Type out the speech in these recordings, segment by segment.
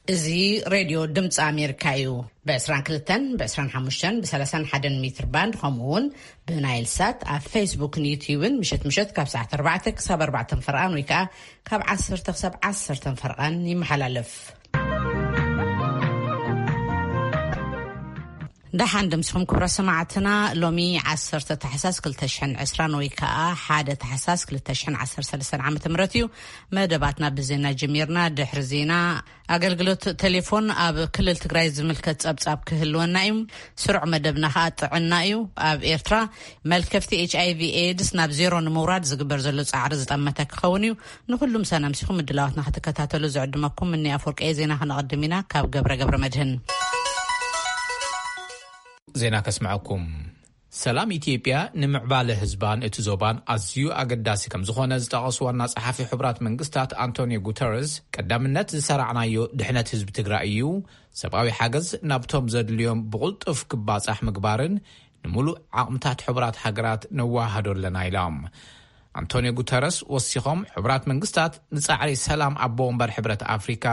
እዚ ሬድዮ ድምፂ ኣሜሪካ እዩ። ብ22፣ ብ25፣ ብ31 ሜትር ባንድ፣ ከምኡ እውን ብናይል ሳት ኣብ ፌስቡክን ዩትዩብን ምሸት ምሸት ካብ ሰዓት ኣርባዕተ ክሳብ ኣርባዕተ ፈርቓን ወይ ከዓ ካብ ዓሰርተ ክሳብ ዓሰርተ ፈርቓን ይመሓላለፍ። ደሓን ድምስኹም ክብረ ሰማዕትና። ሎሚ ዓሰርተ ታሕሳስ ክልተ ሽሕን ዕስራን ወይ ከዓ ሓደ ታሕሳስ ክልተ ሽሕን ዓሰርተ ሰለስተን ዓመተ ምህረት እዩ። መደባትና ብዜና ጀሚርና። ድሕሪ ዜና፣ ኣገልግሎት ቴሌፎን ኣብ ክልል ትግራይ ዝምልከት ጸብጻብ ክህልወና እዩ። ስሩዕ መደብና ከዓ ጥዕና እዩ። ኣብ ኤርትራ መልከፍቲ ኤች ኣይ ቪ ኤድስ ናብ ዜሮ ንምውራድ ዝግበር ዘሎ ጻዕሪ ዝጠመተ ክኸውን እዩ። ንኹሉ ምሳና ምሲኹም ምድላዋትና ክትከታተሉ ዝዕድመኩም እኒ ኣፈወርቂ። ዜና ክነቐድም ኢና ካብ ገብረ ገብረ መድህን። ዜና ከስምዐኩም። ሰላም ኢትዮጵያ ንምዕባለ ህዝባን እቲ ዞባን ኣዝዩ ኣገዳሲ ከም ዝኾነ ዝጠቐሱ ዋና ጸሓፊ ሕቡራት መንግስታት ኣንቶኒዮ ጉተረስ፣ ቀዳምነት ዝሰራዕናዮ ድሕነት ህዝቢ ትግራይ እዩ። ሰብኣዊ ሓገዝ ናብቶም ዘድልዮም ብቕልጡፍ ክባጻሕ ምግባርን ንምሉእ ዓቕምታት ሕቡራት ሃገራት ነዋሃዶ ኣለና ኢሎም። ኣንቶኒዮ ጉተረስ ወሲኾም፣ ሕቡራት መንግስታት ንጻዕሪ ሰላም ኣቦ ወንበር ሕብረት ኣፍሪካ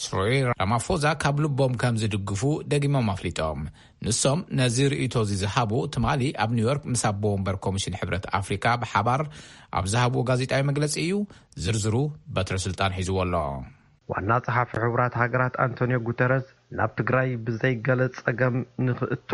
ስሪል ራማፎዛ ካብ ልቦም ከም ዝድግፉ ደጊሞም ኣፍሊጦም። ንሶም ነዚ ርእይቶ እዚ ዝሃቡ ትማሊ ኣብ ኒውዮርክ ምስ ኣቦ ወንበር ኮሚሽን ሕብረት ኣፍሪካ ብሓባር ኣብ ዝሃብዎ ጋዜጣዊ መግለጺ እዩ። ዝርዝሩ በትረ ስልጣን ሒዝዎ ኣሎ። ዋና ጸሓፊ ሕቡራት ሃገራት ኣንቶኒዮ ጉተረስ፣ ናብ ትግራይ ብዘይ ገለ ጸገም ንኽእቶ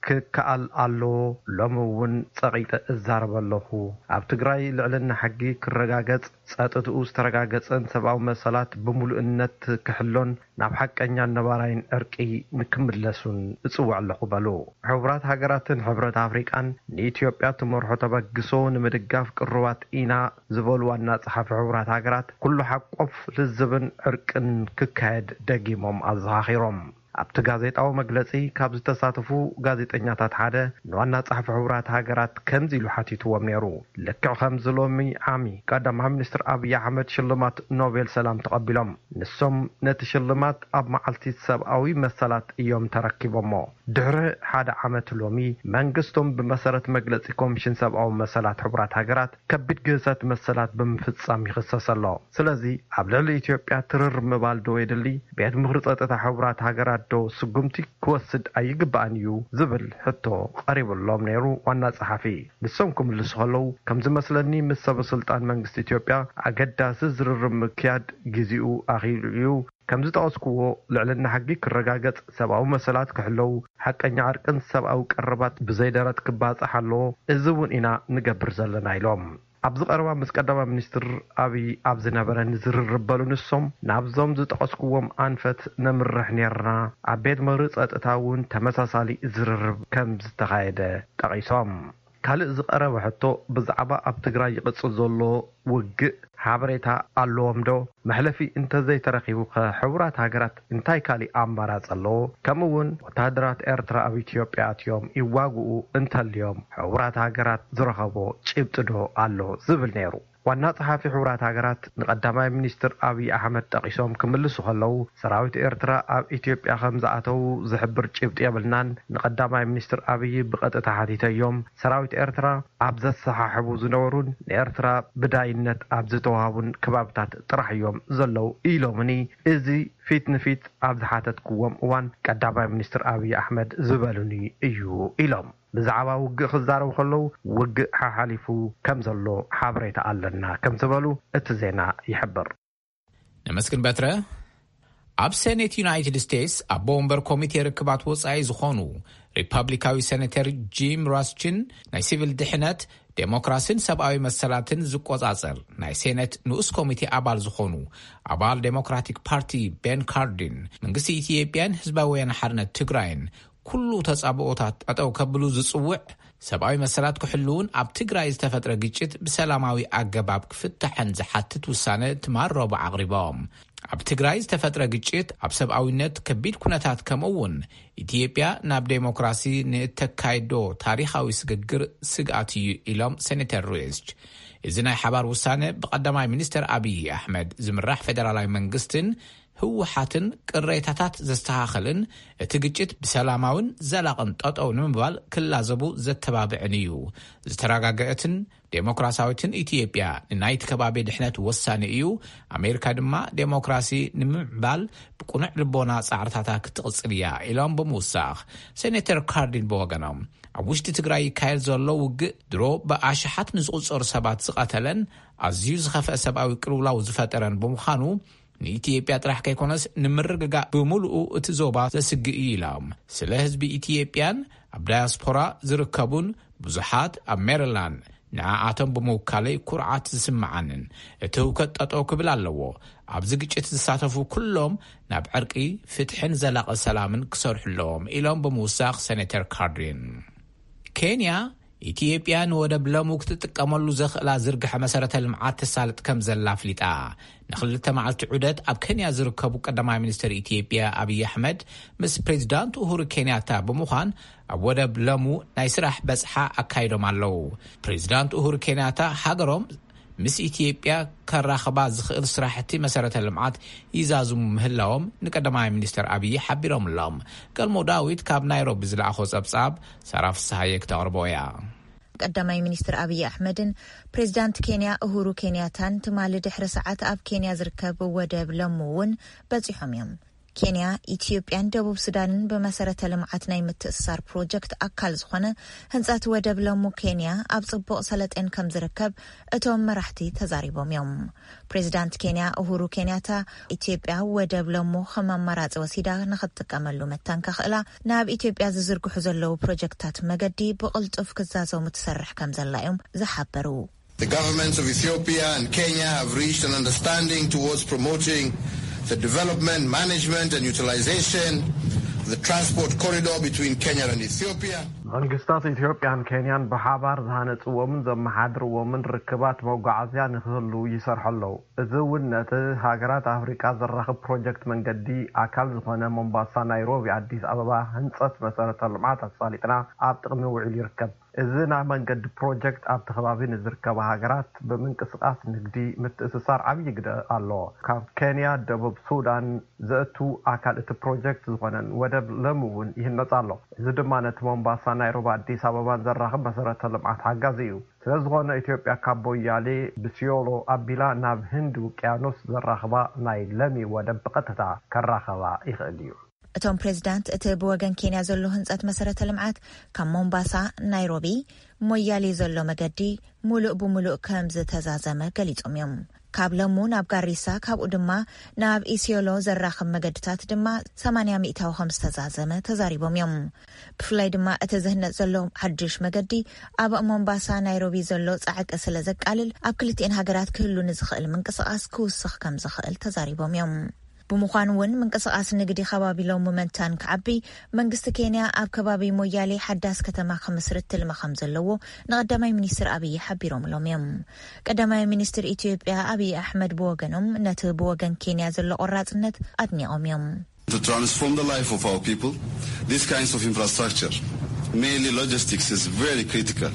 ክከኣል ኣለዎ። ሎሚ እውን ጸቒጠ እዛረብ ኣለኹ። ኣብ ትግራይ ልዕልና ሕጊ ክረጋገጽ፣ ጸጥትኡ ዝተረጋገጸን ሰብኣዊ መሰላት ብምሉእነት ክሕሎን ናብ ሓቀኛን ነባራይን ዕርቂ ንክምለሱን እጽውዕ ኣለኹ በሉ። ሕቡራት ሃገራትን ሕብረት ኣፍሪቃን ንኢትዮጵያ ትመርሖ ተበግሶ ንምድጋፍ ቅሩባት ኢና ዝበሉ ዋና ጸሓፊ ሕቡራት ሃገራት፣ ኩሉ ሓቆፍ ልዝብን ዕርቅን ክካየድ ደጊሞም ኣዘኻኺሮም። ኣብቲ ጋዜጣዊ መግለጺ ካብ ዝተሳተፉ ጋዜጠኛታት ሓደ ንዋና ጸሓፊ ሕቡራት ሃገራት ከምዚ ኢሉ ሓቲትዎም ነይሩ። ልክዕ ከምዚ ሎሚ ዓሚ ቀዳማይ ሚኒስትር ኣብይ ኣሕመድ ሽልማት ኖቤል ሰላም ተቐቢሎም። ንሶም ነቲ ሽልማት ኣብ መዓልቲ ሰብኣዊ መሰላት እዮም ተረኪቦሞ። ድሕሪ ሓደ ዓመት ሎሚ መንግስቶም ብመሰረት መግለጺ ኮሚሽን ሰብኣዊ መሰላት ሕቡራት ሃገራት ከቢድ ግህሰት መሰላት ብምፍጻም ይኽሰስ ኣሎ። ስለዚ ኣብ ልዕሊ ኢትዮጵያ ትርር ምባል ዶ የድሊ? ቤት ምኽሪ ጸጥታ ሕቡራት ሃገራት ዶ ስጉምቲ ክወስድ ኣይግባእን እዩ? ዝብል ሕቶ ቀሪቡሎም ነይሩ ዋና ጸሓፊ። ንሶም ክምልሱ ከለዉ፣ ከም ዝመስለኒ ምስ ሰበ ስልጣን መንግስቲ ኢትዮጵያ ኣገዳሲ ዝርርብ ምክያድ ግዚኡ ኣኺሉ እዩ። ከም ዝጠቐስኩዎ፣ ልዕልና ሕጊ ክረጋገጽ፣ ሰብኣዊ መሰላት ክሕለዉ፣ ሓቀኛ ዕርቅን ሰብኣዊ ቀረባት ብዘይ ደረት ክባጻሕ ኣለዎ። እዚ እውን ኢና ንገብር ዘለና ኢሎም። ኣብዚ ቀረባ ምስ ቀዳማይ ሚኒስትር ኣብይ ኣብ ዝነበረ ንዝርርብ በሉ ንሶም፣ ናብዞም ዝጠቐስኩዎም ኣንፈት ነምርሕ ኔርና። ኣብ ቤት ምኽሪ ጸጥታ እውን ተመሳሳሊ ዝርርብ ከም ዝተኻየደ ጠቒሶም። ካልእ ዝቐረበ ሕቶ ብዛዕባ ኣብ ትግራይ ይቕጽል ዘሎ ውግእ ሓበሬታ ኣለዎም ዶ? መሕለፊ እንተዘይተረኺቡ ከ ሕቡራት ሃገራት እንታይ ካሊእ ኣማራጺ ኣለዎ? ከምኡ እውን ወተሃደራት ኤርትራ ኣብ ኢትዮጵያ ኣትዮም ይዋግኡ እንተልዮም ሕቡራት ሃገራት ዝረኸቦ ጭብጢ ዶ ኣሎ? ዝብል ነይሩ። ዋና ጸሓፊ ሕቡራት ሃገራት ንቀዳማይ ሚኒስትር ኣብይ ኣሕመድ ጠቒሶም ክምልሱ ከለዉ፣ ሰራዊት ኤርትራ ኣብ ኢትዮጵያ ከም ዝኣተዉ ዝሕብር ጭብጢ የብልናን። ንቀዳማይ ሚኒስትር ኣብይ ብቐጥታ ሓቲተዮም፣ ሰራዊት ኤርትራ ኣብ ዘሰሓሕቡ ዝነበሩን ንኤርትራ ብዳይነት ኣብ ዝተዋሃቡን ከባብታት ጥራሕ እዮም ዘለዉ ኢሎምኒ። እዚ ፊት ንፊት ኣብ ዝሓተትክዎም እዋን ቀዳማይ ሚኒስትር ኣብይ ኣሕመድ ዝበሉኒ እዩ ኢሎም። ብዛዕባ ውግእ ክዛረቡ ከለዉ፣ ውግእ ሓሓሊፉ ከም ዘሎ ሓበሬታ ኣለና ከም ዝበሉ እቲ ዜና ይሕብር። ነመስግን በትረ። ኣብ ሴኔት ዩናይትድ ስቴትስ ኣቦ ወንበር ኮሚቴ ርክባት ወጻኢ ዝኾኑ ሪፐብሊካዊ ሴኔተር ጂም ራስችን፣ ናይ ሲቪል ድሕነት፣ ዴሞክራሲን ሰብኣዊ መሰላትን ዝቆጻጸር ናይ ሴኔት ንኡስ ኮሚቴ ኣባል ዝኾኑ ኣባል ዴሞክራቲክ ፓርቲ ቤን ካርዲን፣ መንግስቲ ኢትዮጵያን ህዝባዊ ወያነ ሓርነት ትግራይን ኩሉ ተጻብኦታት ጠጠው ከብሉ ዝጽውዕ፣ ሰብኣዊ መሰላት ክሕልውን ኣብ ትግራይ ዝተፈጥረ ግጭት ብሰላማዊ ኣገባብ ክፍታሕን ዝሓትት ውሳነ ትማል ረቡዕ ኣቕሪቦም። ኣብ ትግራይ ዝተፈጥረ ግጭት ኣብ ሰብኣዊነት ከቢድ ኩነታት፣ ከምኡ እውን ኢትዮጵያ ናብ ዴሞክራሲ ንእተካይዶ ታሪኻዊ ስግግር ስግኣት እዩ ኢሎም ሴኔተር ሪስች። እዚ ናይ ሓባር ውሳነ ብቀዳማይ ሚኒስትር ኣብይ ኣሕመድ ዝምራሕ ፌደራላዊ መንግስትን ህወሓትን ቅሬታታት ዘስተኻኸልን፣ እቲ ግጭት ብሰላማውን ዘላቕን ጠጠው ንምባል ክላዘቡ ዘተባብዕን እዩ። ዝተረጋገአትን ዴሞክራሲያዊትን ኢትዮጵያ ንናይቲ ከባቢ ድሕነት ወሳኒ እዩ። ኣሜሪካ ድማ ዴሞክራሲ ንምምዕባል ብቁኑዕ ልቦና ጻዕርታታ ክትቕጽል እያ፣ ኢሎም ብምውሳኽ፣ ሴኔተር ካርዲን ብወገኖም፣ ኣብ ውሽጢ ትግራይ ይካየድ ዘሎ ውግእ ድሮ ብኣሽሓት ንዝቑጸሩ ሰባት ዝቐተለን ኣዝዩ ዝኸፍአ ሰብኣዊ ቅልውላው ዝፈጠረን ብምዃኑ፣ ንኢትዮጵያ ጥራሕ ከይኮነስ ንምርግጋእ ብምሉኡ እቲ ዞባ ዘስግእ እዩ ኢሎም። ስለ ህዝቢ ኢትዮጵያን ኣብ ዳያስፖራ ዝርከቡን ብዙሓት ኣብ ሜሪላንድ ንዓኣቶም ብምውካለይ ኩርዓት ዝስምዓንን፣ እቲ ህውከት ጠጠው ክብል ኣለዎ። ኣብዚ ግጭት ዝሳተፉ ኩሎም ናብ ዕርቂ፣ ፍትሕን ዘላቒ ሰላምን ክሰርሑ ኣለዎም፣ ኢሎም ብምውሳኽ ሴኔተር ካርዲን። ኬንያ፣ ኢትዮጵያ ንወደብ ለሙ ክትጥቀመሉ ዘኽእላ ዝርግሐ መሰረተ ልምዓት ተሳልጥ ከም ዘላ ኣፍሊጣ። ንክልተ መዓልቲ ዑደት ኣብ ኬንያ ዝርከቡ ቀዳማይ ሚኒስትር ኢትዮጵያ ኣብይ ኣሕመድ ምስ ፕሬዚዳንት ኡሁሩ ኬንያታ ብምዃን ኣብ ወደብ ለሙ ናይ ስራሕ በጽሓ ኣካይዶም ኣለዉ። ፕሬዚዳንት ኡሁሩ ኬንያታ ሃገሮም ምስ ኢትዮጵያ ከራኽባ ዝኽእል ስራሕቲ መሰረተ ልምዓት ይዛዝሙ ምህላዎም ንቀዳማይ ሚኒስትር ኣብይ ሓቢሮምሎም። ገልሞ ዳዊት ካብ ናይሮቢ ዝለኣኾ ጸብጻብ ሳራ ፍስሃየ ክተቕርቦ እያ። ቀዳማይ ሚኒስትር ኣብይ ኣሕመድን ፕሬዚዳንት ኬንያ ኡሁሩ ኬንያታን ትማሊ ድሕሪ ሰዓት ኣብ ኬንያ ዝርከብ ወደብ ለሙ እውን በጺሖም እዮም። ኬንያ፣ ኢትዮጵያን ደቡብ ሱዳንን ብመሰረተ ልምዓት ናይ ምትእስሳር ፕሮጀክት ኣካል ዝኾነ ህንጸት ወደብ ለሙ ኬንያ ኣብ ጽቡቕ ሰለጤን ከም ዝርከብ እቶም መራሕቲ ተዛሪቦም እዮም። ፕሬዚዳንት ኬንያ ኡሁሩ ኬንያታ፣ ኢትዮጵያ ወደብ ለሙ ከም ኣማራጺ ወሲዳ ንኽትጥቀመሉ መታን ከኽእላ፣ ናብ ኢትዮጵያ ዝዝርግሑ ዘለዉ ፕሮጀክታት መገዲ ብቕልጡፍ ክዛዘሙ ትሰርሕ ከም ዘላ እዮም ዝሓበሩ። The governments of Ethiopia and Kenya have reached an understanding towards promoting the development, management and utilization of the transport corridor between Kenya and Ethiopia. መንግስታት ኢትዮጵያን ኬንያን ብሓባር ዝሃነጽዎምን ዘመሓድርዎምን ርክባት መጓዓዝያ ንክህሉ ይሰርሑ ኣለዉ። እዚ እውን ነቲ ሃገራት ኣፍሪቃ ዘራኽብ ፕሮጀክት መንገዲ ኣካል ዝኾነ ሞምባሳ ናይሮቢ ኣዲስ ኣበባ ህንጸት መሰረተ ልምዓት ኣሳሊጥና ኣብ ጥቕሚ ውዒሉ ይርከብ። እዚ ናይ መንገዲ ፕሮጀክት ኣብቲ ከባቢ ንዝርከባ ሃገራት ብምንቅስቓስ ንግዲ ምትእስሳር ዓብዪ ግደ ኣለዎ። ካብ ኬንያ፣ ደቡብ ሱዳን ዘእቱ ኣካል እቲ ፕሮጀክት ዝኾነን ወደብ ለሙ እውን ይህነጽ ኣሎ። እዚ ድማ ነቲ ሞምባሳ ናይሮቢ ኣዲስ ኣበባን ዘራኽብ መሰረተ ልምዓት ሓጋዚ እዩ። ስለ ዝኾነ ኢትዮጵያ ካብ ሞያሌ ብሲዮሎ ኣቢላ ናብ ህንዲ ውቅያኖስ ዘራኽባ ናይ ለሚ ወደብ ብቐጥታ ከራኸባ ይኽእል እዩ። እቶም ፕሬዚዳንት እቲ ብወገን ኬንያ ዘሎ ህንጸት መሰረተ ልምዓት ካብ ሞምባሳ ናይሮቢ ሞያሌ ዘሎ መገዲ ሙሉእ ብሙሉእ ከም ዝተዛዘመ ገሊጾም እዮም። ካብ ለሙ ናብ ጋሪሳ፣ ካብኡ ድማ ናብ ኢሲዮሎ ዘራኽብ መገድታት ድማ ሰማንያ ሚእታዊ ከም ዝተዛዘመ ተዛሪቦም እዮም። ብፍላይ ድማ እቲ ዝህነጽ ዘሎ ሓድሽ መገዲ ኣብ ሞምባሳ ናይሮቢ ዘሎ ጻዕቂ ስለ ዘቃልል፣ ኣብ ክልቲኤን ሃገራት ክህሉ ንዝኽእል ምንቅስቓስ ክውስኽ ከም ዝኽእል ተዛሪቦም እዮም። ብምዃኑ እውን ምንቅስቓስ ንግዲ ከባቢ ሎሚ መንታን ክዓቢ፣ መንግስቲ ኬንያ ኣብ ከባቢ ሞያሌ ሓዳስ ከተማ ክምስርት ትልሚ ከም ዘለዎ ንቀዳማይ ሚኒስትር ኣብይ ሓቢሮምሎም እዮም። ቀዳማይ ሚኒስትር ኢትዮጵያ ኣብይ ኣሕመድ ብወገኖም ነቲ ብወገን ኬንያ ዘሎ ቆራጽነት ኣድኒቖም እዮም። To transform the life of our people, these kinds of infrastructure, mainly logistics, is very critical.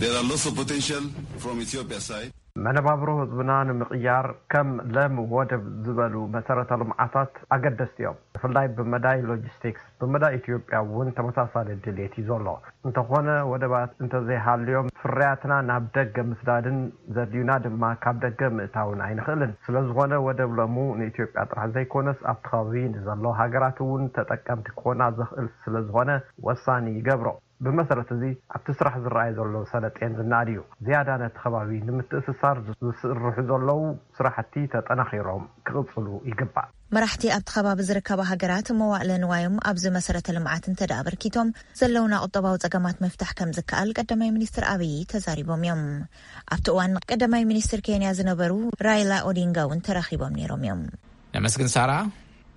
There are lots of potential from Ethiopia side. መነባብሮ ህዝብና ንምቕያር ከም ለም ወደብ ዝበሉ መሰረተ ልምዓታት ኣገደስቲ እዮም። ብፍላይ ብመዳይ ሎጂስቲክስ፣ ብመዳይ ኢትዮጵያ እውን ተመሳሳሊ ድሌት እዩ ዘሎ። እንተኾነ ወደባት እንተዘይሃልዮም ፍርያትና ናብ ደገ ምስዳድን ዘድልዩና ድማ ካብ ደገ ምእታውን ኣይንኽእልን። ስለዝኾነ ወደብ ለሙ ንኢትዮጵያ ጥራሕ ዘይኮነስ ኣብቲ ከባቢ ንዘለዉ ሃገራት እውን ተጠቀምቲ ክኾና ዘኽእል ስለዝኾነ ወሳኒ ይገብሮ። ብመሰረት እዚ ኣብቲ ስራሕ ዝረኣይ ዘሎ ሰለጤን ዝነኣድ እዩ። ዝያዳ ነቲ ከባቢ ንምትእስሳር ዝስርሑ ዘለዉ ስራሕቲ ተጠናኺሮም ክቕፅሉ ይግባእ። መራሕቲ ኣብቲ ከባቢ ዝርከባ ሃገራት መዋእለ ንዋዮም ኣብዚ መሰረተ ልምዓት እንተ ደኣ ኣበርኪቶም ዘለውና ቁጠባዊ ጸገማት ምፍታሕ ከም ዝከኣል ቀዳማይ ሚኒስትር ኣብይ ተዛሪቦም እዮም። ኣብቲ እዋን ቀዳማይ ሚኒስትር ኬንያ ዝነበሩ ራይላ ኦዲንጋ እውን ተራኺቦም ነይሮም እዮም። ነመስግን ሳራ።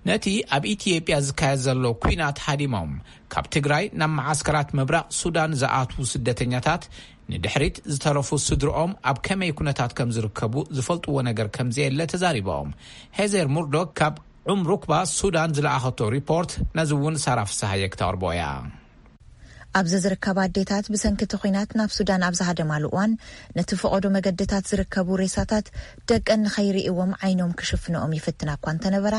ነቲ ኣብ ኢትዮጵያ ዝካየድ ዘሎ ኲናት ሃዲሞም ካብ ትግራይ ናብ መዓስከራት ምብራቕ ሱዳን ዝኣትዉ ስደተኛታት ንድሕሪት ዝተረፉ ስድርኦም ኣብ ከመይ ኩነታት ከም ዝርከቡ ዝፈልጥዎ ነገር ከም ዘየለ ተዛሪቦም። ሄዘር ሙርዶክ ካብ ዑምሩክባ ሱዳን ዝለኣኸቶ ሪፖርት ነዚ እውን ሳራ ፍስሃየ ክተቕርቦ እያ። ኣብዚ ዝርከባ ኣዴታት ብሰንኪ እቲ ኲናት ናብ ሱዳን ኣብ ዝሃደማሉ እዋን፣ ነቲ ፈቐዶ መገድታት ዝርከቡ ሬሳታት ደቀን ንኸይርእይዎም ዓይኖም ክሽፍንኦም ይፍትና እኳ እንተነበራ፣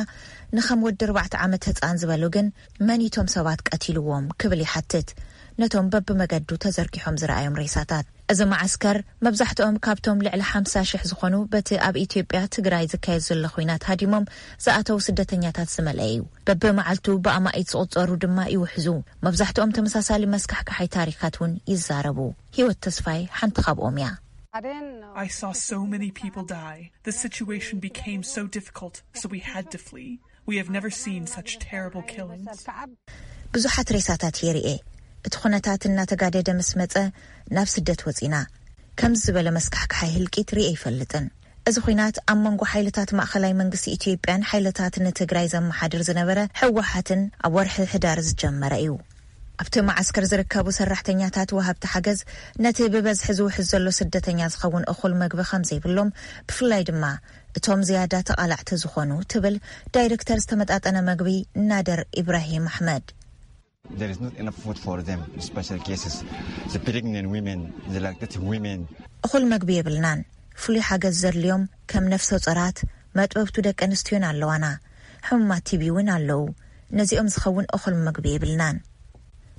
ንኸም ወዲ ኣርባዕተ ዓመት ህጻን ዝበሉ ግን፣ መን እቶም ሰባት ቀቲልዎም ክብል ይሓትት። ነቶም በብመገዱ ተዘርጊሖም ዝረኣዮም ሬሳታት። እዚ መዓስከር መብዛሕትኦም ካብቶም ልዕሊ ሓምሳ ሽሕ ዝኾኑ በቲ ኣብ ኢትዮጵያ ትግራይ ዝካየድ ዘሎ ኲናት ሃዲሞም ዝኣተው ስደተኛታት ዝመልአ እዩ። በብመዓልቱ ብኣማኢት ዝቑጸሩ ድማ ይውሕዙ። መብዛሕትኦም ተመሳሳሊ መስካሕካሓይ ታሪኻት እውን ይዛረቡ። ህይወት ተስፋይ ሓንቲ ካብኦም እያ። I saw so many people die. The situation became so difficult, so we had to flee. We have never seen such terrible killings. ብዙሓት ሬሳታት የርኤ። እቲ ኩነታት እናተጋደደ ምስ መጸ ናብ ስደት ወጺና። ከምዚ ዝበለ መስካሕካሓይ ህልቂት ርኤ ኣይፈልጥን። እዚ ኹናት ኣብ መንጎ ሓይልታት ማእኸላይ መንግስቲ ኢትዮጵያን ሓይልታት ንትግራይ ዘመሓድር ዝነበረ ህወሓትን ኣብ ወርሒ ሕዳር ዝጀመረ እዩ። ኣብቲ መዓስከር ዝርከቡ ሰራሕተኛታት ወሃብቲ ሓገዝ ነቲ ብበዝሒ ዝውሕዝ ዘሎ ስደተኛ ዝኸውን እኹል መግቢ ከም ዘይብሎም፣ ብፍላይ ድማ እቶም ዝያዳ ተቓላዕቲ ዝኾኑ፣ ትብል ዳይሬክተር ዝተመጣጠነ መግቢ ናደር ኢብራሂም ኣሕመድ። There is not enough food for them, especially cases. The pregnant women, the lactating women. እኹል መግቢ የብልናን። ፍሉይ ሓገዝ ዘድልዮም ከም ነፍሰ ጾራት፣ መጥበብቱ ደቂ ኣንስትዮን ኣለዋና። ሕሙማት ቲቢ እውን ኣለዉ። ነዚኦም ዝኸውን እኹል መግቢ የብልናን።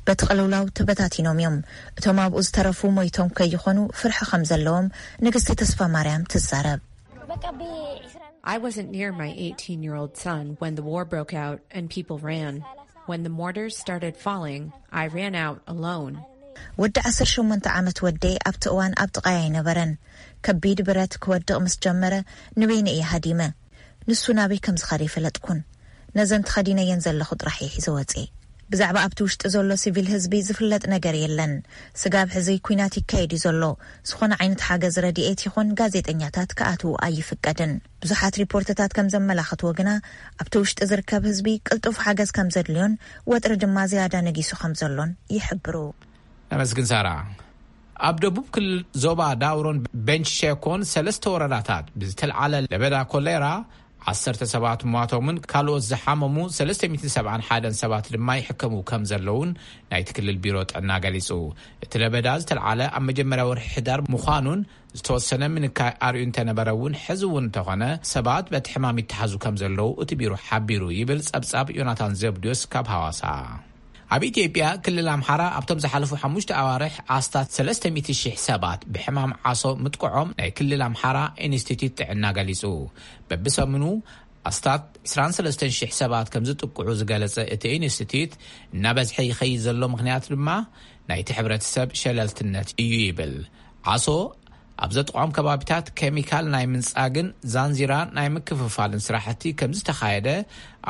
በቲ ቅልውላው ተበታቲኖም እዮም። እቶም ኣብኡ ዝተረፉ ሞይቶም ከይኾኑ ፍርሒ ከም ዘለዎም ንግስቲ ተስፋ ማርያም ትዛረብ። I wasn't near my eighteen year old son when the war broke out and people ran. When the mortars started falling, I ran out alone. ወዲ ዓሰርተ ሸሞንተ ዓመት ወደይ ኣብቲ እዋን ኣብ ጥቓይ ኣይነበረን። ከቢድ ብረት ክወድቕ ምስ ጀመረ ንበይነ እየ ሃዲመ። ንሱ ናበይ ከም ዝኸደ ኣይፈለጥኩን። ነዘን ተኸዲነየን ዘለኹ ጥራሕ እየ ሒዘ ወፅየ። ብዛዕባ ኣብቲ ውሽጢ ዘሎ ሲቪል ህዝቢ ዝፍለጥ ነገር የለን። ስጋብ ሕዚ ኲናት ይካየድ እዩ ዘሎ። ዝኾነ ዓይነት ሓገዝ ረድኤት ይኹን ጋዜጠኛታት ክኣትዉ ኣይፍቀድን። ብዙሓት ሪፖርትታት ከም ዘመላኽትዎ ግና ኣብቲ ውሽጢ ዝርከብ ህዝቢ ቅልጡፍ ሓገዝ ከም ዘድልዮን ወጥሪ ድማ ዝያዳ ነጊሱ ከም ዘሎን ይሕብሩ። ነመስግን ሳራ። ኣብ ደቡብ ክልል ዞባ ዳውሮን ቤንች ሸኮን ሰለስተ ወረዳታት ብዝተልዓለ ለበዳ ኮሌራ ዓሰርተ ሰባት ሟቶምን ካልኦት ዝሓመሙ ሰለስተ ሚእትን ሰብዓን ሓደን ሰባት ድማ ይሕከሙ ከም ዘለውን ናይቲ ክልል ቢሮ ጥዕና ገሊጹ። እቲ ለበዳ ዝተልዓለ ኣብ መጀመርያ ወርሒ ሕዳር ምዃኑን ዝተወሰነ ምንካይ ኣርእዩ እንተነበረ እውን፣ ሕዚ እውን እንተኾነ ሰባት በቲ ሕማም ይተሓዙ ከም ዘለዉ እቲ ቢሮ ሓቢሩ ይብል ጸብጻብ ዮናታን ዘብድዮስ ካብ ሃዋሳ። ኣብ ኢትዮጵያ ክልል ኣምሓራ ኣብቶም ዝሓለፉ ሓሙሽተ ኣዋርሕ ኣስታት ሰለስተ ሚእቲ ሽሕ ሰባት ብሕማም ዓሶ ምጥቅዖም ናይ ክልል ኣምሓራ ኢንስቲትዩት ጥዕና ገሊጹ። በብሰሙኑ ኣስታት ዕስራን ሰለስተን ሽሕ ሰባት ከም ዝጥቅዑ ዝገለጸ እቲ ኢንስቲትዩት፣ እናበዝሐ ይኸይድ ዘሎ ምኽንያት ድማ ናይቲ ሕብረተሰብ ሸለልትነት እዩ ይብል። ዓሶ ኣብ ዘጥቕዖም ከባቢታት ኬሚካል ናይ ምንጻግን ዛንዚራ ናይ ምክፍፋልን ስራሕቲ ከም ዝተኻየደ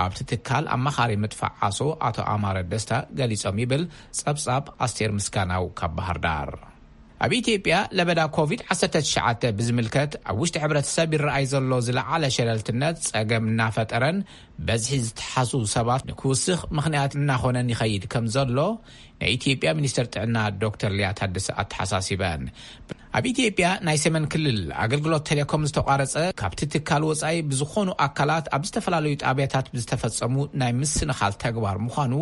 ኣብቲ ትካል ኣማኻሪ ምጥፋእ ዓሶ ኣቶ ኣማረ ደስታ ገሊጾም ይብል ጸብጻብ ኣስቴር ምስጋናው ካብ ባህር ዳር። ኣብ ኢትዮጵያ ለበዳ ኮቪድ ዓሰርተ ትሽዓተ ብዝምልከት ኣብ ውሽጢ ሕብረተሰብ ይረኣይ ዘሎ ዝለዓለ ሸለልትነት ጸገም እናፈጠረን በዝሒ ዝተሓሱ ሰባት ንክውስኽ ምኽንያት እናኾነን ይኸይድ ከም ዘሎ ናይ ኢትዮጵያ ሚኒስተር ጥዕና ዶክተር ሊያ ታደሰ ኣተሓሳሲበን። ኣብ ኢትዮጵያ ናይ ሰሜን ክልል ኣገልግሎት ቴሌኮም ዝተቋረጸ ካብቲ ትካል ወጻኢ ብዝኾኑ ኣካላት ኣብ ዝተፈላለዩ ጣብያታት ብዝተፈጸሙ ናይ ምስንኻል ተግባር ምዃኑ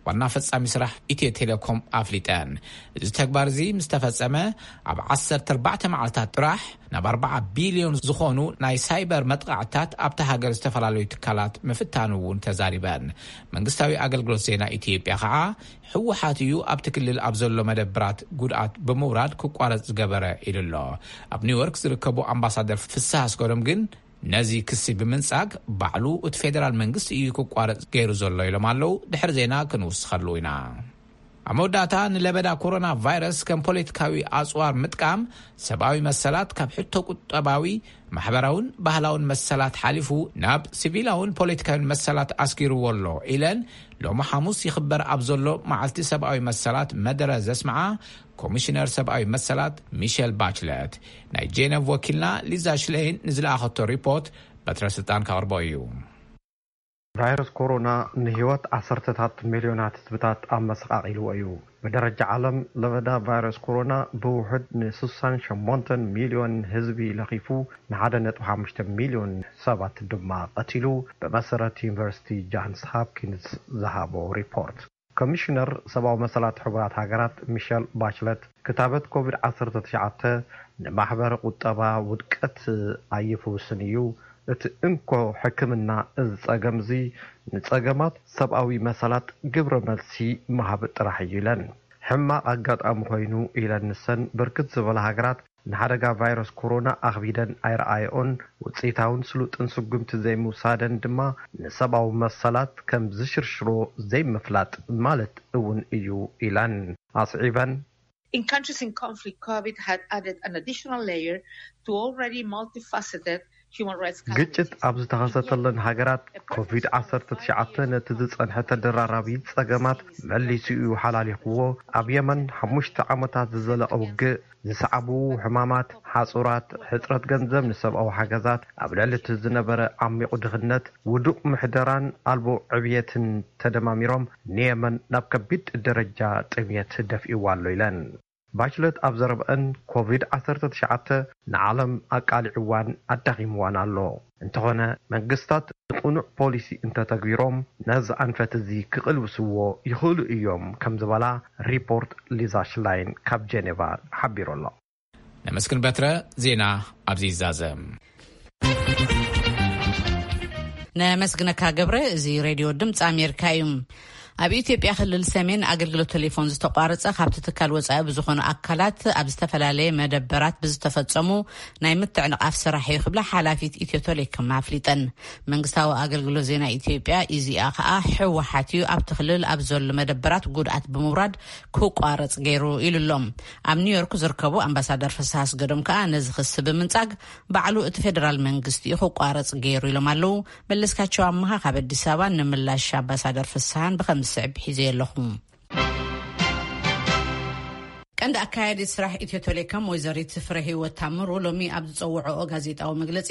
ዋና ፈጻሚ ስራሕ ኢትዮ ቴሌኮም ኣፍሊጠን። እዚ ተግባር እዚ ምስ ተፈጸመ ኣብ ዓሰርተ ኣርባዕተ መዓልታት ጥራሕ ናብ ኣርባዓ ቢልዮን ዝኾኑ ናይ ሳይበር መጥቓዕትታት ኣብታ ሃገር ዝተፈላለዩ ትካላት ምፍታኑ እውን ተዛሪበን። መንግስታዊ ኣገልግሎት ዜና ኢትዮጵያ ኸዓ ህወሓት እዩ ኣብቲ ክልል ኣብ ዘሎ መደብራት ጉድኣት ብምውራድ ክቋረጽ ዝገበረ ኢሉ ኣሎ። ኣብ ኒውዮርክ ዝርከቡ ኣምባሳደር ፍስሃ ኣስገዶም ግን ነዚ ክሲ ብምንጻግ ባዕሉ እቲ ፌደራል መንግስቲ እዩ ክቋረጽ ገይሩ ዘሎ ኢሎም ኣለዉ። ድሕሪ ዜና ክንውስኸሉ ኢና። ኣብ መወዳእታ ንለበዳ ኮሮና ቫይረስ ከም ፖለቲካዊ ኣጽዋር ምጥቃም ሰብኣዊ መሰላት ካብ ሕቶ ቁጠባዊ፣ ማሕበራውን ባህላውን መሰላት ሓሊፉ ናብ ሲቪላውን ፖለቲካውን መሰላት ኣስጊርዎ ኣሎ ኢለን ሎሚ ሓሙስ ይኽበር ኣብ ዘሎ መዓልቲ ሰብኣዊ መሰላት መደረ ዘስምዓ ኮሚሽነር ሰብኣዊ መሰላት ሚሸል ባችለት። ናይ ጄነቭ ወኪልና ሊዛ ሽሌይን ንዝለኣኸቶ ሪፖርት በትረ ስልጣን ከቕርቦ እዩ። ቫይረስ ኮሮና ንህይወት ዓሰርተታት ሚልዮናት ህዝብታት ኣመሰቓቒልዎ እዩ። ብደረጃ ዓለም ለበዳ ቫይረስ ኮሮና ብውሑድ ን ስሳን ሸሞንተን ሚልዮን ህዝቢ ለኺፉ፣ ንሓደ ነጥቢ ሓሙሽተ ሚልዮን ሰባት ድማ ቀቲሉ፣ ብመሰረት ዩኒቨርሲቲ ጃንስ ሃፕኪንስ ዝሃቦ ሪፖርት። ኮሚሽነር ሰብኣዊ መሰላት ሕቡራት ሃገራት ሚሸል ባችለት፣ ክታበት ኮቪድ ዓሰርተ ትሽዓተ ንማሕበረ ቁጠባ ውድቀት ኣይፍውስን እዩ፣ እቲ እንኮ ሕክምና እዚ ጸገም እዚ ንጸገማት ሰብኣዊ መሰላት ግብረ መልሲ ምሃብ ጥራሕ እዩ ኢለን። ሕማቕ ኣጋጣሚ ኮይኑ ኢለን ንሰን፣ ብርክት ዝበላ ሃገራት ንሓደጋ ቫይረስ ኮሮና ኣኽቢደን ኣይረኣየኦን፣ ውፅኢታውን ስሉጥን ስጉምቲ ዘይምውሳደን ድማ ንሰብኣዊ መሰላት ከም ዝሽርሽሮ ዘይምፍላጥ ማለት እውን እዩ ኢለን። ኣስዒበን፣ In countries in conflict, COVID had added an additional layer to already multifaceted human rights ግጭት ኣብ ዝተኸሰተለን ሃገራት ኮቪድ ዓሰርተ ትሽዓተ ነቲ ዝጸንሐ ተደራራቢ ጸገማት መሊሱ እዩ ሓላሊኽዎ። ኣብ የመን ሓሙሽተ ዓመታት ዝዘለቐ ውግእ፣ ዝሰዓቡ ሕማማት፣ ሓጹራት፣ ሕጽረት ገንዘብ ንሰብኣዊ ሓገዛት፣ ኣብ ልዕሊ እቲ ዝነበረ ዓሚቑ ድኽነት፣ ውዱቕ ምሕደራን ኣልቦ ዕብየትን ተደማሚሮም ንየመን ናብ ከቢድ ደረጃ ጥምየት ደፊእዋ ኣሎ ኢለን። ባችለት ኣብ ዘረብአን፣ ኮቪድ ዓሰርተ ትሽዓተ ንዓለም ኣቃሊዕዋን ኣዳኺምዋን ኣሎ። እንተኾነ መንግስታት ንቕኑዕ ፖሊሲ እንተተግቢሮም ነዚ ኣንፈት እዚ ክቕልብስዎ ይኽእሉ እዮም ከም ዝበላ ሪፖርት ሊዛ ሽላይን ካብ ጀኔቫ ሓቢሩ ኣሎ። ነመስግን በትረ። ዜና ኣብዚ ይዛዘም። ነመስግነካ ገብረ። እዚ ሬድዮ ድምፂ ኣሜሪካ እዩ። ኣብ ኢትዮጵያ ክልል ሰሜን ኣገልግሎት ቴሌፎን ዝተቋረፀ ካብቲ ትካል ወፃኢ ብዝኾኑ ኣካላት ኣብ ዝተፈላለየ መደበራት ብዝተፈፀሙ ናይ ምትዕንቓፍ ስራሕ እዩ ክብላ ሓላፊት ኢትዮ ቴሌኮም ኣፍሊጠን። መንግስታዊ ኣገልግሎት ዜና ኢትዮጵያ ኢዜኣ ከኣ ህወሓት እዩ ኣብቲ ክልል ኣብ ዘሎ መደበራት ጉድኣት ብምውራድ ክቋረፅ ገይሩ ኢሉ ኣሎ። ኣብ ኒውዮርክ ዝርከቡ ኣምባሳደር ፍስሃ ኣስገዶም ከኣ ነዚ ክሲ ብምንጻግ ባዕሉ እቲ ፌደራል መንግስቲ እዩ ክቋረፅ ገይሩ ኢሎም ኣለዉ። መለስካቸው ኣመሃ ካብ ኣዲስ ኣበባ ንምላሽ ኣምባሳደር ፍስሃን ብከም ዝስዕብ ሒዘ ኣለኹ። ቀንዲ ኣካያዲት ስራሕ ኢትዮ ቴሌኮም ወይዘሪት ፍረ ህይወት ታምሩ ሎሚ ኣብ ዝጸውዐኦ ጋዜጣዊ መግለጺ፣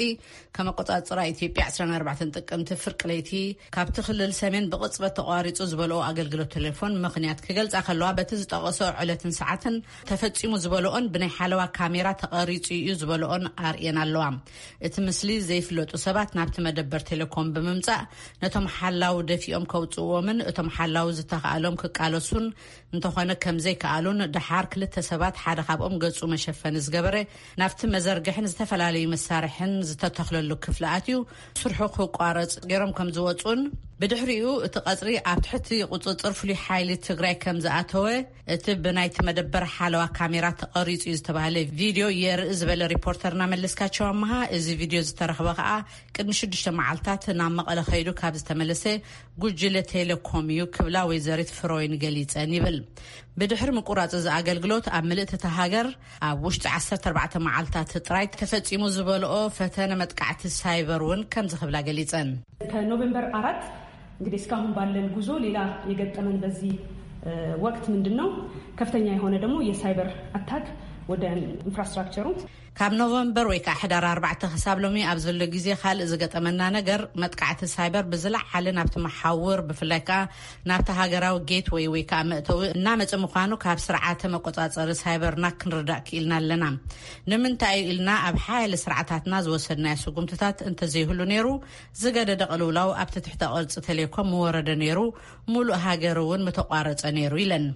ከም ኣቆጻጽራ ኢትዮጵያ ዕስራን ኣርባዕተን ጥቅምቲ ፍርቂ ለይቲ ካብቲ ክልል ሰሜን ብቕጽበት ተቋሪጹ ዝበልኦ ኣገልግሎት ቴሌፎን ምኽንያት ክገልጻ ከለዋ፣ በቲ ዝጠቐሶ ዕለትን ሰዓትን ተፈጺሙ ዝበልኦን ብናይ ሓለዋ ካሜራ ተቐሪጹ እዩ ዝበልኦን ኣርእየን ኣለዋ። እቲ ምስሊ ዘይፍለጡ ሰባት ናብቲ መደበር ቴሌኮም ብምምጻእ ነቶም ሓላው ደፊኦም ከውጽእዎምን እቶም ሓላው ዝተኻእሎም ክቃለሱን እንተኾነ ከም ዘይከኣሉን፣ ደሓር ክልተ ሰባት ሓደ ካብኦም ገጹ መሸፈኒ ዝገበረ ናብቲ መዘርግሕን ዝተፈላለዩ መሳርሕን ዝተተኽለሉ ክፍሊ ኣትዩ ስርሑ ክቋረጽ ገይሮም ከም ዝወጹን፣ ብድሕሪኡ እቲ ቀጽሪ ኣብ ትሕቲ ቁጽጽር ፍሉይ ሓይሊ ትግራይ ከም ዝኣተወ እቲ ብናይቲ መደበር ሓለዋ ካሜራ ተቐሪጹ እዩ ዝተባህለ ቪድዮ የርኢ ዝበለ ሪፖርተርና መለስካቸው ኣመሃ፣ እዚ ቪድዮ ዝተረኽበ ከኣ ቅድሚ ሽዱሽተ መዓልታት ናብ መቐለ ከይዱ ካብ ዝተመለሰ ጉጅለ ቴሌኮም እዩ ክብላ ወይዘሪት ፍሮይን ገሊጸን ይብል። ብድሕሪ ምቁራጽ እዚ ኣገልግሎት ኣብ ምልእቲ እታ ሃገር ኣብ ውሽጢ ዓሰርተ ኣርባዕተ መዓልታት ጥራይ ተፈጺሙ ዝበልኦ ፈተነ መጥቃዕቲ ሳይበር እውን ከምዚ ክብላ ገሊጸን። ከኖቬምበር አራት እንግዲህ እስካሁን ባለን ጉዞ ሌላ የገጠመን በዚህ ወቅት ምንድን ነው? ከፍተኛ የሆነ ደግሞ የሳይበር አታክ ወደ ኢንፍራስትራክቸሩ። ካብ ኖቨምበር ወይ ከዓ ሕዳር ኣርባዕተ ክሳብ ሎሚ ኣብ ዘሎ ግዜ ካልእ ዝገጠመና ነገር መጥቃዕቲ ሳይበር ብዝለዓለ ናብቲ መሓውር፣ ብፍላይ ከዓ ናብቲ ሃገራዊ ጌትወይ ወይ ከዓ መእተዊ እናመፀ ምዃኑ ካብ ስርዓተ መቆፃፀሪ ሳይበርና ክንርዳእ ክኢልና ኣለና። ንምንታይ እዩ ኢልና ኣብ ሓያለ ስርዓታትና ዝወሰድናዮ ስጉምትታት እንተዘይህሉ ነይሩ ዝገደደ ቅልውላው ኣብቲ ትሕተ ቅርፂ ቴሌኮም ምወረደ ነይሩ፣ ሙሉእ ሃገር እውን ምተቋረፀ ነይሩ ኢለን።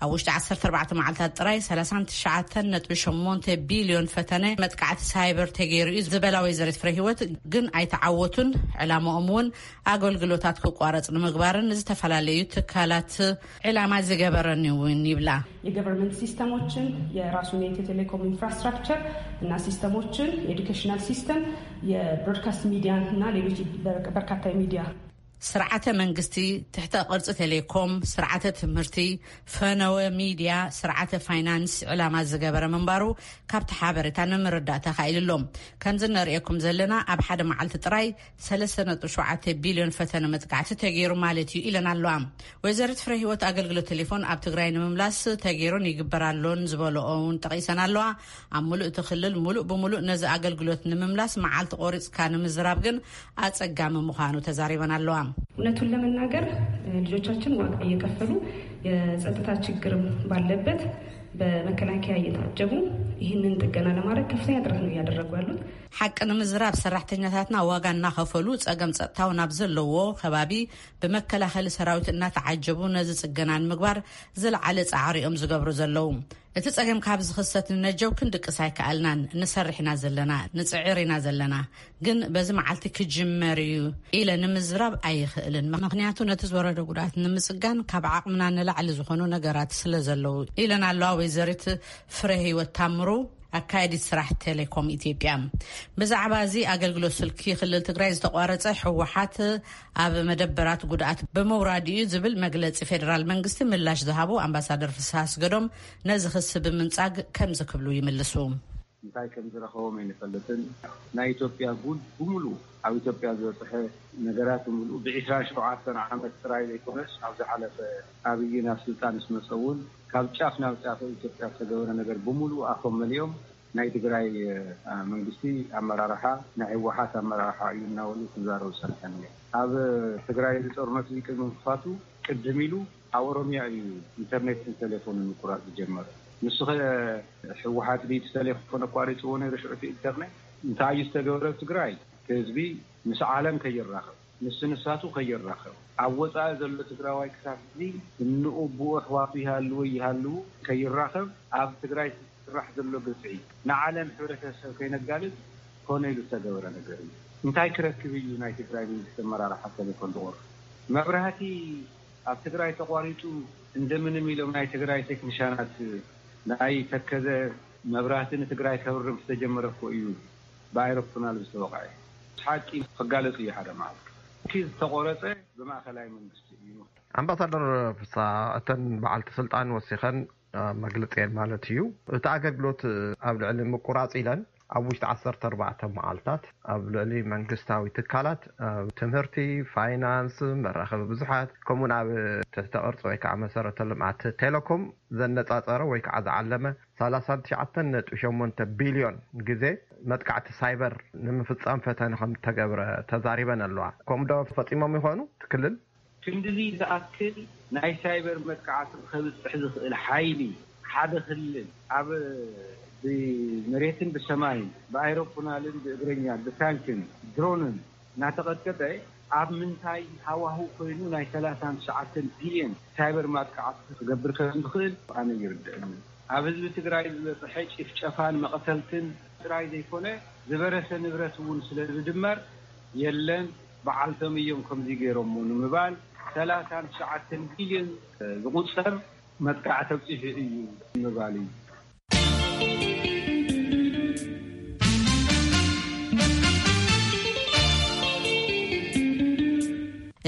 ኣብ ውሽጢ ዓሰርተ ኣርባዕተ መዓልታት ጥራይ ሰላሳን ትሽዓተን ነጥቢ ሸሞንተ ቢልዮን ፈተነ መጥቃዕቲ ሳይበር ተገይሩ እዩ ዝበላ ወይዘሪት ፍረ ህይወት ግን ኣይተዓወቱን። ዕላማኦም እውን ኣገልግሎታት ክቋረፅ ንምግባርን ዝተፈላለዩ ትካላት ዕላማ ዝገበረን እውን ይብላ። የገቨርንመንት ሲስተሞችን፣ የራሱን የኢትዮ ቴሌኮም ኢንፍራስትራክቸር እና ሲስተሞችን፣ የኤዱኬሽናል ሲስተም፣ የብሮድካስት ሚዲያ እና ሌሎች በርካታ የሚዲያ ስርዓተ መንግስቲ፣ ትሕተ ቅርጺ ቴሌኮም፣ ስርዓተ ትምህርቲ፣ ፈነወ ሚዲያ፣ ስርዓተ ፋይናንስ ዕላማ ዝገበረ ምንባሩ ካብቲ ሓበሬታ ንምርዳእ ተኻኢሉ ኣሎ። ከምዚ ነርእየኩም ዘለና ኣብ ሓደ መዓልቲ ጥራይ ሰለስተ ነጥቢ ሸውዓተ ቢልዮን ፈተነ መጥቃዕቲ ተገይሩ ማለት እዩ ኢለን ኣለዋ። ወይዘሪት ፍረ ህይወት ኣገልግሎት ቴሌፎን ኣብ ትግራይ ንምምላስ ተገይሩን ይግበር ኣሎን ዝበለኦ እውን ጠቒሰን ኣለዋ። ኣብ ሙሉእ እቲ ክልል ሙሉእ ብሙሉእ ነዚ ኣገልግሎት ንምምላስ መዓልቲ ቆሪፅካ ንምዝራብ ግን ኣፀጋሚ ምዃኑ ተዛሪበን ኣለዋ። እውነቱን ለመናገር ልጆቻችን ዋጋ እየከፈሉ የጸጥታ ችግርም ባለበት በመከላከያ እየታጀቡ ይህንን ጥገና ለማድረግ ከፍተኛ ጥረት ነው እያደረጉ ያሉት። ሓቂ ንምዝራብ፣ ሰራሕተኛታትና ዋጋ እናኸፈሉ ጸገም ጸጥታው ናብ ዘለዎ ከባቢ ብመከላኸሊ ሰራዊት እናተዓጀቡ ነዚ ጽገና ንምግባር ዝለዓለ ጻዕሪ እዮም ዝገብሩ ዘለዉ። እቲ ጸገም ካብ ዝኽሰት ንነጀው ክንድቅስ ኣይከኣልናን። ንሰርሕ ኢና ዘለና፣ ንጽዕር ኢና ዘለና። ግን በዚ መዓልቲ ክጅመር እዩ ኢለ ንምዝራብ ኣይኽእልን። ምኽንያቱ ነቲ ዝወረደ ጉድኣት ንምጽጋን ካብ ዓቕምና ንላዕሊ ዝኾኑ ነገራት ስለ ዘለዉ ኢለን ኣለዋ ወይዘሪት ፍረ ህይወት ታምሩ፣ ኣካየዲት ስራሕ ቴሌኮም ኢትዮጵያ። ብዛዕባ እዚ ኣገልግሎት ስልኪ ክልል ትግራይ ዝተቋረጸ፣ ህወሓት ኣብ መደበራት ጉድኣት ብምውራድ እዩ ዝብል መግለጺ ፌደራል መንግስቲ ምላሽ ዝሃቡ ኣምባሳደር ፍስሃ ኣስገዶም ነዚ ክሲ ብምንጻግ ከምዚ ክብሉ ይምልሱ። እንታይ ከም ዝረኸቦም ኣይንፈልጥን። ናይ ኢትዮጵያ ጉድ ብምሉእ፣ ኣብ ኢትዮጵያ ዝበፅሐ ነገራት ብምሉእ፣ ብ27 ዓመት ጥራይ ዘይኮነስ፣ ኣብ ዝሓለፈ ኣብይ ናብ ስልጣን ምስ መፀ እውን ካብ ጫፍ ናብ ጫፍ ኣብ ኢትዮጵያ ዝተገበረ ነገር ብምሉእ ኣፎም መሊኦም ናይ ትግራይ መንግስቲ ኣመራርሓ ናይ ህወሓት ኣመራርሓ እዩ እናበሉ ክዛረቡ ፀኒሖም እዮም። ኣብ ትግራይ እዚ ጦርነት እዚ ቅድሚ ምክፋቱ ቅድም ኢሉ ኣብ ኦሮሚያ እዩ ኢንተርኔትን ቴሌፎንን ምቁራፅ ዝጀመረ። ንሱ ኸ ህወሓት ድዩ እቲ ቴሌፎን ኣቋሪፅዎ ነይሩ ሽዑ እቲ ኢንተርኔት? እንታይ እዩ ዝተገብረ? ትግራይ ህዝቢ ምስ ዓለም ከይራኸብ፣ ምስ ንሳቱ ከይራኸብ፣ ኣብ ወፃኢ ዘሎ ትግራዋይ ክሳብ ሕዚ እንኡ ብኡ ኣሕዋቱ ይሃልዎ ይሃልዉ ከይራኸብ ኣብ ትግራይ ዝስራሕ ዘሎ ግፍዒ ንዓለም ሕብረተሰብ ከይነጋልፅ ኮነ ኢሉ ዝተገበረ ነገር እዩ። እንታይ ክረክብ እዩ ናይ ትግራይ መንግስቲ ኣመራርሓ ቴሌፎን ዝቆርፅ? መብራህቲ ኣብ ትግራይ ተቋሪፁ እንደምንም ኢሎም ናይ ትግራይ ቴክኒሻናት ናይ ተከዘ መብራህቲ ንትግራይ ከብርህ ዝተጀመረ እኮ እዩ ብኣይሮፕላን ዝተወቕዐ። ሓቂ ክጋለፅ እዩ ሓደ መዓልቲ። እቲ ዝተቆረፀ ብማእኸላይ መንግስቲ እዩ። ኣምባሳደር ፍሳ፣ እተን በዓልቲ ስልጣን ወሲኸን መግለፂ ማለት እዩ። እቲ ኣገልግሎት ኣብ ልዕሊ ምቁራፅ ኢለን ኣብ ውሽጢ 14 መዓልታት ኣብ ልዕሊ መንግስታዊ ትካላት፣ ኣብ ትምህርቲ፣ ፋይናንስ፣ መራኸቢ ብዙሓት፣ ከምኡውን ኣብ ትሕተ ቅርፂ ወይ ከዓ መሰረተ ልምዓት ቴሌኮም ዘነፃፀረ ወይ ከዓ ዝዓለመ 39.8 ቢልዮን ግዜ መጥቃዕቲ ሳይበር ንምፍፃም ፈተነ ከም ተገብረ ተዛሪበን ኣለዋ። ከምኡ ዶ ፈፂሞም ይኾኑ? እቲ ክልል ክንድዚ ዝኣክል ናይ ሳይበር መጥቃዕቲ ከብፅሕ ዝኽእል ሓይሊ ሓደ ክልል ኣብ ብመሬትን ብሰማይን ብኣይሮፕላንን ብእግረኛን ብታንክን ድሮንን እናተቐጥቀጠ ኣብ ምንታይ ሃዋህው ኮይኑ ናይ 39 ቢልዮን ሳይበር ማጥቃዕቲ ክገብር ከም ዝኽእል ኣነ ይርድእኒ። ኣብ ህዝቢ ትግራይ ዝበፅሐ ጭፍጨፋን መቐተልትን ጥራይ ዘይኮነ ዝበረሰ ንብረት እውን ስለ ዝድመር የለን በዓልቶም እዮም ከምዚ ገይሮሞ ንምባል 39 ቢልዮን ዝቑፀር መጥቃዕቲ ኣብፂሑ እዩ ምባል እዩ።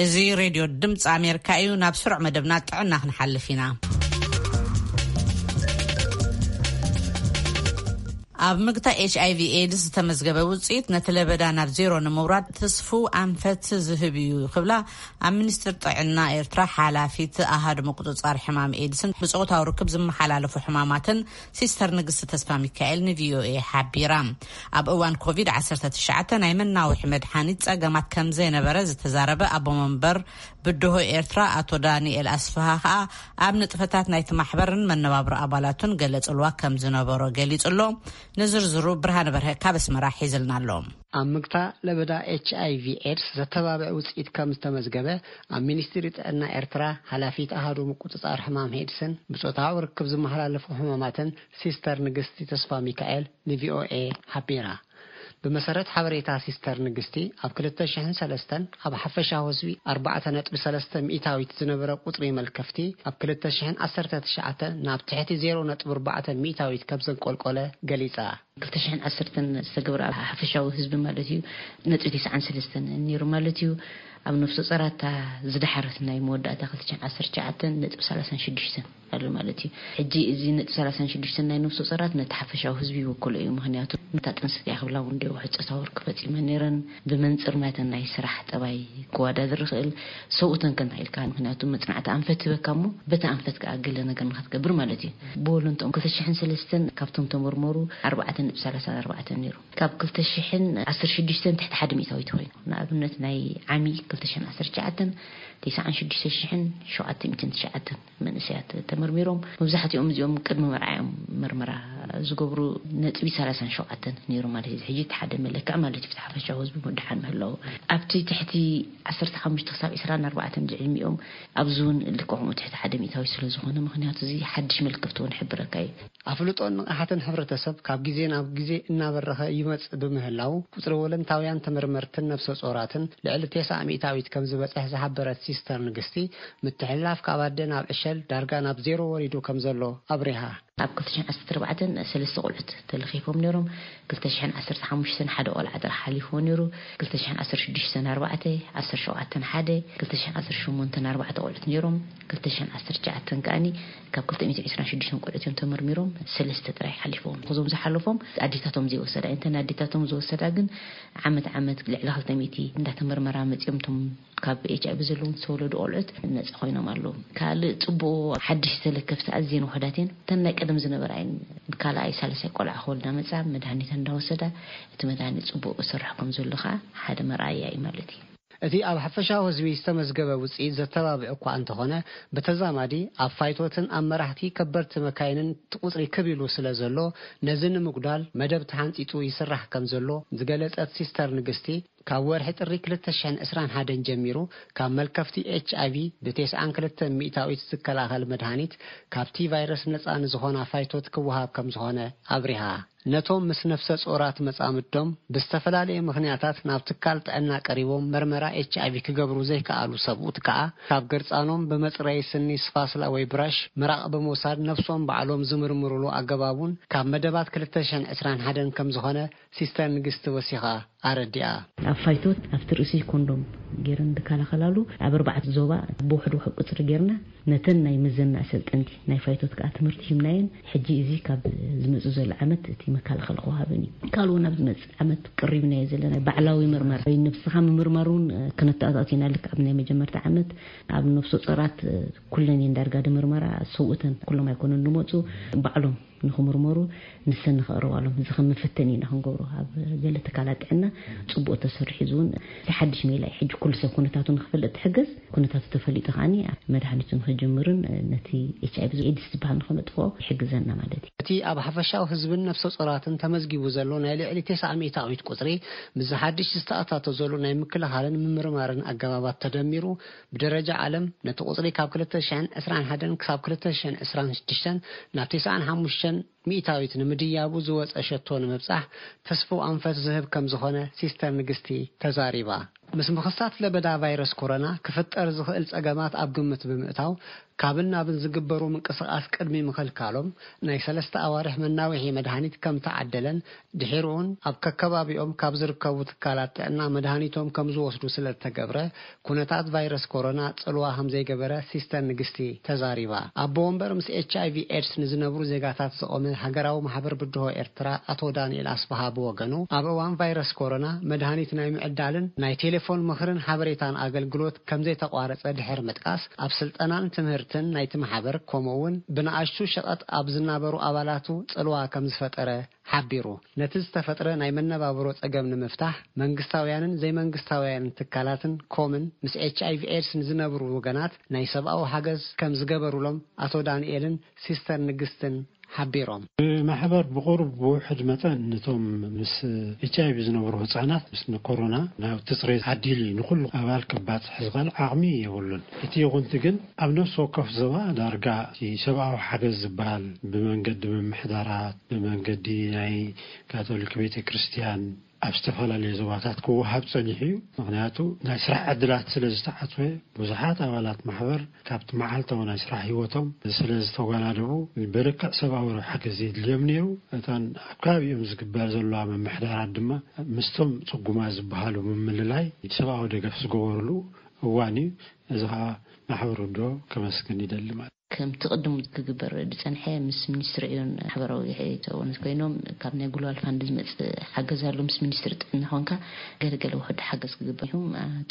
እዚ ሬድዮ ድምፂ ኣሜሪካ እዩ። ናብ ስሩዕ መደብና ጥዕና ክንሓልፍ ኢና። ኣብ ምግታ ኤች ኣይ ቪ ኤድስ ዝተመዝገበ ውፅኢት ነቲ ለበዳ ናብ ዜሮ ንምውራድ ትስፉ ኣንፈት ዝህብ እዩ ክብላ ኣብ ሚኒስትር ጥዕና ኤርትራ ሓላፊት ኣሃዱ ምቁፅፃር ሕማም ኤድስን ብፆታዊ ርክብ ዝመሓላለፉ ሕማማትን ሲስተር ንግስቲ ተስፋ ሚካኤል ንቪኦኤ ሓቢራ። ኣብ እዋን ኮቪድ ዓሰርተ ትሽዓተ ናይ መናውሒ መድሓኒት ፀገማት ከም ዘይነበረ ዝተዛረበ ኣቦ መንበር ብድሆ ኤርትራ ኣቶ ዳንኤል ኣስፍሃ ከኣ ኣብ ንጥፈታት ናይቲ ማሕበርን መነባብሮ ኣባላቱን ገለ ጽልዋ ከም ዝነበሮ ገሊጹ ኣሎ። ንዝርዝሩ ብርሃነ በርሀ ካብ ኣስመራ ሒዝልና ኣሎ። ኣብ ምግታ ለበዳ ኤች ኣይ ቪ ኤድስ ዘተባብዕ ውጽኢት ከም ዝተመዝገበ ኣብ ሚኒስትሪ ጥዕና ኤርትራ ሓላፊት ኣሃዱ ምቁጽጻር ሕማም ኤድስን ብጾታዊ ርክብ ዝመሓላለፉ ሕማማትን ሲስተር ንግስቲ ተስፋ ሚካኤል ንቪኦኤ ሓቢራ። ብመሰረት ሓበሬታ ሲስተር ንግስቲ ኣብ ክልተ ሽሕን ሰለስተን ኣብ ሓፈሻዊ ህዝቢ ኣርባዕተ ነጥቢ ሰለስተ ሚእታዊት ዝነበረ ቁጽሪ መልከፍቲ ኣብ ክልተ ሽሕን ዓሰርተ ትሽዓተ ናብ ትሕቲ ዜሮ ነጥቢ ኣርባዕተ ሚእታዊት ከም ዘንቆልቆለ ገሊጻ። ክልተ ሽሕን ዓሰርተን ዝተገብረ ኣብ ሓፈሻዊ ህዝቢ ማለት እዩ ነጥቢ ተስዓን ሰለስተን ነይሩ ማለት እዩ። ኣብ ነፍሰ ጾራታ ዝደሓረት ናይ መወዳእታ ክልተ ሽሕን ዓሰርተ ትሽዓተ ነጥቢ ሰላሳን ሽዱሽተን ኣሎ ማለት እዩ። ሕጂ እዚ ነጥቢ ሰላሳን ሽዱሽተን ናይ ነፍሰ ጾራት ነቲ ሓፈሻዊ ህዝቢ ይውክሎ እዩ። ምኽንያቱ ነታ ጥንስቲ እያ ክብላ እውን ዶ ውሕፀ ታወር ክፈፂመ ነይረን ብመንፅር ናተን ናይ ስራሕ ጠባይ ክወዳደር ይኽእል። ሰብኡተን ከ እንታይ ኢልካ? ምኽንያቱ መፅናዕቲ ኣንፈት ህበካ እሞ በቲ ኣንፈት ከኣ ገለ ነገር ንክትገብር ማለት እዩ። ብወለንትኦም ክልተ ሽሕን ሰለስተን ካብቶም ተመርመሩ ኣርባዕተ ነጥቢ ሰላሳ ኣርባዕተ ነይሩ። ካብ ክልተ ሽሕን ዓሰርተ ሽዱሽተን ትሕቲ ሓደ ሚእታዊት ኮይኑ ንኣብነት ናይ ዓሚ ክልተ ሽሕን ዓሰርተ ትሽዓተን ተስዓን ሽዱሽተ ሽሕን ሸውዓተ ሚእትን ትሽዓተን መንእሰያት ተመርሚሮም። መብዛሕትኦም እዚኦም ቅድሚ መርዓ እዮም መርመራ ዝገብሩ። ነጥቢ ሰላሳን ሸውዓተን ነይሩ ማለት እዩ። ሕጂ እቲ ሓደ መለክዕ ማለት እዩ፣ ፍትሓ ፈሻዊ ህዝቢ ምድሓን ምህላው። ኣብቲ ትሕቲ ዓሰርተ ሓሙሽተ ክሳብ ዕስራን ኣርባዕተን ዝዕድሚኦም ኣብዚ እውን ልክዕ ከምኡ ትሕቲ ሓደ ሚእታዊ ስለ ዝኾነ፣ ምኽንያቱ እዚ ሓድሽ መልክፍቲ እውን ይሕብረካ እዩ። ኣፍልጦን ንቕሓትን ሕብረተሰብ ካብ ግዜ ናብ ግዜ እናበረኸ ይመጽእ ብምህላው፣ ቁጽሪ ወለንታውያን ተመርመርትን ነፍሰ ጾራትን ልዕሊ ተስዓ ሚእታዊት ከም ዝበጽሕ ዝሓበረት ሲስተር ንግስቲ፣ ምትሕልላፍ ካብ ኣደ ናብ ዕሸል ዳርጋ ናብ ዜሮ ወሪዱ ከም ዘሎ ኣብሪሃ። ኣብ ክልተ ሽሕን ዓሰርተ ኣርባዕተን ሰለስተ ቆልዑት ተለኺፎም ነይሮም። ክልተ ሽሕን ዓሰርተ ሓሙሽተን ሓደ ቆልዓ ጥራሕ ሓሊፍዎ ነይሩ። ክልተ ሽሕን ዓሰርተ ሽዱሽተን ኣርባዕተ፣ ዓሰርተ ሸውዓተን ሓደ፣ ክልተ ሽሕን ዓሰርተ ሸሞንተን ኣርባዕተ ቆልዑት ነይሮም። ክልተ ሽሕን ዓሰርተ ትሽዓተን ከኣኒ ካብ ክልተ ሚእትን ዕስራን ሽዱሽተን ቆልዑት እዮም ተመርሚሮም፣ ሰለስተ ጥራይ ሓሊፎም። እዞም ዝሓለፎም ኣዴታቶም ዘይወሰዳ፣ እንተን ኣዴታቶም ዝወሰዳ ግን ዓመት ዓመት ልዕሊ ክልተ ሚእቲ እንዳተመርመራ መጺኦም። እቶም ካብ ኤች ኣይ ቪ ዘለዎም ዝተወለዱ ቆልዑት ነጻ ኮይኖም ኣለዉ። ካልእ ጽቡቕ፣ ሓድሽ ተለከፍቲ ኣዝየን ውሑዳት እየን። እተን ናይ ቀደም ዝነበራ እየን። ካልኣይ ሳልሳይ ቆልዓ ክወልዳ መጻ መድሃኒት እንዳወሰዳ፣ እቲ መድሃኒት ጽቡቕ ይሰርሕ ከም ዘሎ ከኣ ሓደ መርኣያ እዩ ማለት እዩ። እቲ ኣብ ሓፈሻዊ ህዝቢ ዝተመዝገበ ውጽኢት ዘተባብዕ እኳ እንተኾነ፣ ብተዛማዲ ኣብ ፋይቶትን ኣብ መራሕቲ ከበድቲ መካይንን እቲ ቁጽሪ ክብ ኢሉ ስለ ዘሎ፣ ነዚ ንምጉዳል መደብ ተሓንጺጹ ይስራሕ ከም ዘሎ ዝገለጸት ሲስተር ንግስቲ፣ ካብ ወርሒ ጥሪ ክልተ ሽሕን ዕስራን ሓደን ጀሚሩ ካብ መልከፍቲ ኤች ኣይ ቪ ብተስዓን ክልተን ሚእታዊት ዝከላኸል መድሃኒት ካብቲ ቫይረስ ነጻ ንዝኾና ፋይቶት ክወሃብ ከም ዝኾነ ኣብሪሃ። ነቶም ምስ ነፍሰ ጾራት መጻምዶም ብዝተፈላለየ ምኽንያታት ናብ ትካል ጥዕና ቀሪቦም መርመራ ኤች ኣይ ቪ ክገብሩ ዘይከኣሉ ሰብኡት ከኣ፣ ካብ ገርጻኖም ብመጽረዪ ስኒ ስፋስላ ወይ ብራሽ ምራቕ ብምውሳድ ነፍሶም ባዕሎም ዝምርምሩሉ ኣገባብ እውን ካብ መደባት ክልተ ሽሕን ዕስራን ሓደን ከም ዝኾነ ሲስተር ንግስቲ ወሲኻ ኣረዲኣ። ኣብ ፋይቶት ኣብቲ ርእሲ ኮንዶም ገይረን ዝከላኸላሉ ኣብ ኣርባዕተ ዞባ ብውሕድ ውሕድ ቁጽሪ ጌርና ነተን ናይ ምዘና ኣሰልጠንቲ ናይ ፋይቶት ከኣ ትምህርቲ ሂብናየን። ሕጂ እዚ ካብ ዝመጽእ ዘሎ ዓመት እቲ መከላኸሊ ክወሃበን እዩ። ካልእ እውን ኣብ ዝመጽእ ዓመት ቀሪብናዮ ዘለና ባዕላዊ ምርመራ ወይ ነብስኻ ምምርማር እውን ክነተኣታቱ ኢና። ልክዕ ኣብ ናይ መጀመርታ ዓመት ኣብ ነፍሰ ጾራት ኩለን እየን ዳርጋ ድምርመራ ሰብኡተን ኩሎም ኣይኮኑን ዝመጹ፣ ባዕሎም ንኽምርመሩ ንሰን ንኸቕርባሎም። እዚ ከም መፈተኒ ኢና ክንገብሮ። ኣብ ገለ ትካላት ጥዕና ጽቡቕ ተሰሪሑ፣ እዚ እውን እቲ ሓድሽ ሜላ እዩ። ሕጂ ኩሉ ሰብ ኩነታቱ ንኽፈልጥ ትሕገዝ። ኩነታቱ ተፈሊጡ ከኣኒ መድሃኒቱ ንኽጅምርን ነቲ ኤች ኣይ ቪ ኤድስ ዝበሃል ንኽነጥፍኦ ይሕግዘና ማለት እዩ። እቲ ኣብ ሓፈሻዊ ህዝብን ነፍሰ ጾራትን ተመዝጊቡ ዘሎ ናይ ልዕሊ ተስዓ ሚእታዊት ቁጽሪ፣ ምስ ሓድሽ ዝተኣታቶ ዘሎ ናይ ምክልኻልን ምምርማርን ኣገባባት ተደሚሩ፣ ብደረጃ ዓለም ነቲ ቁጽሪ ካብ ክልተ ሽሕን ዕስራን ሓደን ክሳብ ክልተ ሽሕን ዕስራን ሽዱሽተን ናብ ተስዓን ሓሙሽተን ሚእታዊት ንምድያቡ ዝወጸ ሸቶ ንምብጻሕ ተስፍኡ ኣንፈት ዝህብ ከም ዝኾነ ሲስተር ንግስቲ ተዛሪባ። ምስ ምኽሳት ለበዳ ቫይረስ ኮሮና ክፍጠር ዝኽእል ጸገማት ኣብ ግምት ብምእታው፣ ካብን ናብን ዝግበሩ ምንቅስቓስ ቅድሚ ምኽልካሎም፣ ናይ ሰለስተ ኣዋርሕ መናውሒ መድሃኒት ከም ተዓደለን፣ ድሒሩ'ውን ኣብ ከከባቢኦም ካብ ዝርከቡ ትካላት ጥዕና መድሃኒቶም ከም ዝወስዱ ስለ ዝተገብረ፣ ኩነታት ቫይረስ ኮሮና ጽልዋ ከም ዘይገበረ ሲስተር ንግስቲ ተዛሪባ። ኣቦ ወንበር ምስ ኤች ኣይ ቪ ኤድስ ንዝነብሩ ዜጋታት ዝቖመ ሃገራዊ ማሕበር ብድሆ ኤርትራ ኣቶ ዳንኤል ኣስፍሃ ብወገኑ፣ ኣብ እዋን ቫይረስ ኮሮና መድሃኒት ናይ ምዕዳልን ናይ ቴሌፎን ምኽርን ሓበሬታን ኣገልግሎት ከም ዘይተቋረጸ ድሕሪ ምጥቃስ፣ ኣብ ስልጠናን ትምህርትን ናይቲ ማሕበር፣ ከምኡ እውን ብንኣሽቱ ሸቐጥ ኣብ ዝናበሩ ኣባላቱ ጽልዋ ከም ዝፈጠረ ሓቢሩ። ነቲ ዝተፈጥረ ናይ መነባብሮ ጸገም ንምፍታሕ፣ መንግስታውያንን ዘይመንግስታውያንን ትካላትን ኮምን ምስ ኤች ኣይ ቪ ኤድስ ንዝነብሩ ወገናት ናይ ሰብኣዊ ሓገዝ ከም ዝገበሩሎም ኣቶ ዳንኤልን ሲስተር ንግስትን ሓቢሮም። ብማሕበር ብቑሩብ ብውሕድ መጠን ነቶም ምስ ኤች ኣይ ቪ ዝነብሩ ህጻናት ምስ ንኮሮና ናብቲ ጽሬት ዓዲሊ ንኹሉ ኣባል ክባጽሕ ዝኽእል ዓቕሚ የብሉን። እቲ ይኹንቲ ግን ኣብ ነፍሲ ወከፍ ዞባ ዳርጋ እቲ ሰብኣዊ ሓገዝ ዝበሃል ብመንገዲ ምምሕዳራት፣ ብመንገዲ ናይ ካቶሊክ ቤተ ክርስቲያን፣ ኣብ ዝተፈላለዩ ዞባታት ክወሃብ ጸኒሑ እዩ። ምኽንያቱ ናይ ስራሕ ዕድላት ስለ ዝተዓጽወ፣ ብዙሓት ኣባላት ማሕበር ካብቲ መዓልታዊ ናይ ስራሕ ህይወቶም ስለ ዝተጓናደቡ፣ ብልክዕ ሰብኣዊ ረብሓ ሓገዝ የድልዮም ነይሩ። እተን ኣብ ከባቢኦም ዝግበር ዘለዋ ምምሕዳራት ድማ ምስቶም ጽጉማት ዝበሃሉ ምምልላይ ሰብኣዊ ደገፍ ዝገበሩሉ እዋን እዩ። እዚ ኸኣ ማሕበር ውድሆ ከመስግን ይደሊ ማለት። ከምቲ ቅድም ክግበር ዝጸንሐ ምስ ሚኒስትሪ ዕዮን ማሕበራዊ ተወነት ኮይኖም ካብ ናይ ግሎባል ፋንድ ዝመጽእ ሓገዝ ኣሎ፣ ምስ ሚኒስትሪ ጥዕና ኮንካ ገለገለ ውሕድ ሓገዝ ክግበር እዩ።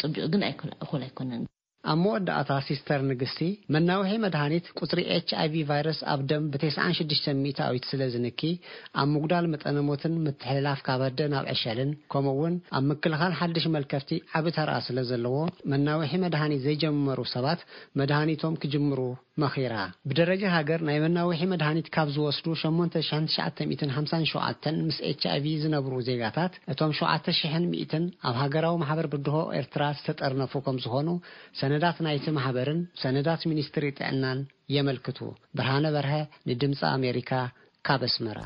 ጽቡቕ ግን ኣይኮ-፣ እኹል ኣይኮነን። ኣብ መወዳእታ ሲስተር ንግስቲ፣ መናውሒ መድሃኒት ቁጽሪ ኤች ኣይ ቪ ቫይረስ ኣብ ደም ብ96%ኣዊት ስለ ዝንኪ፣ ኣብ ምጉዳል መጠነ ሞትን ምትሕልላፍ ካብ ኣደ ናብ ዕሸልን፣ ከምኡ እውን ኣብ ምክልኻል ሓድሽ መልከፍቲ ዓቢ ተራ ስለ ዘለዎ፣ መናውሒ መድሃኒት ዘይጀመሩ ሰባት መድሃኒቶም ክጅምሩ መኺራ። ብደረጃ ሃገር ናይ መናውሒ መድሃኒት ካብ ዝወስዱ ሸሞንተ ሽሕን ትሽዓተ ሚእትን ሓምሳን ሸውዓተን ምስ ኤች ኣይ ቪ ዝነብሩ ዜጋታት፣ እቶም ሸውዓተ ሽሕን ሚእትን ኣብ ሃገራዊ ማሕበር ብድሆ ኤርትራ ዝተጠርነፉ ከም ዝኾኑ ሰነዳት ናይቲ ማሕበርን ሰነዳት ሚኒስትሪ ጥዕናን የመልክቱ። ብርሃነ በርሀ ንድምፂ ኣሜሪካ ካብ ኣስመራ።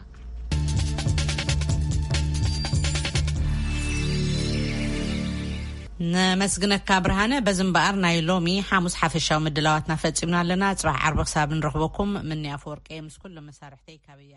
ነመስግነካ ብርሃነ። በዚ እምበኣር ናይ ሎሚ ሓሙስ ሓፈሻዊ ምድላዋትና ፈጺምና ኣለና። ጽባሕ ዓርቢ ክሳብ ንረኽበኩም፣ ምንያ ኣፈወርቂ ምስ ኩሉ መሳርሕተይ ካበያ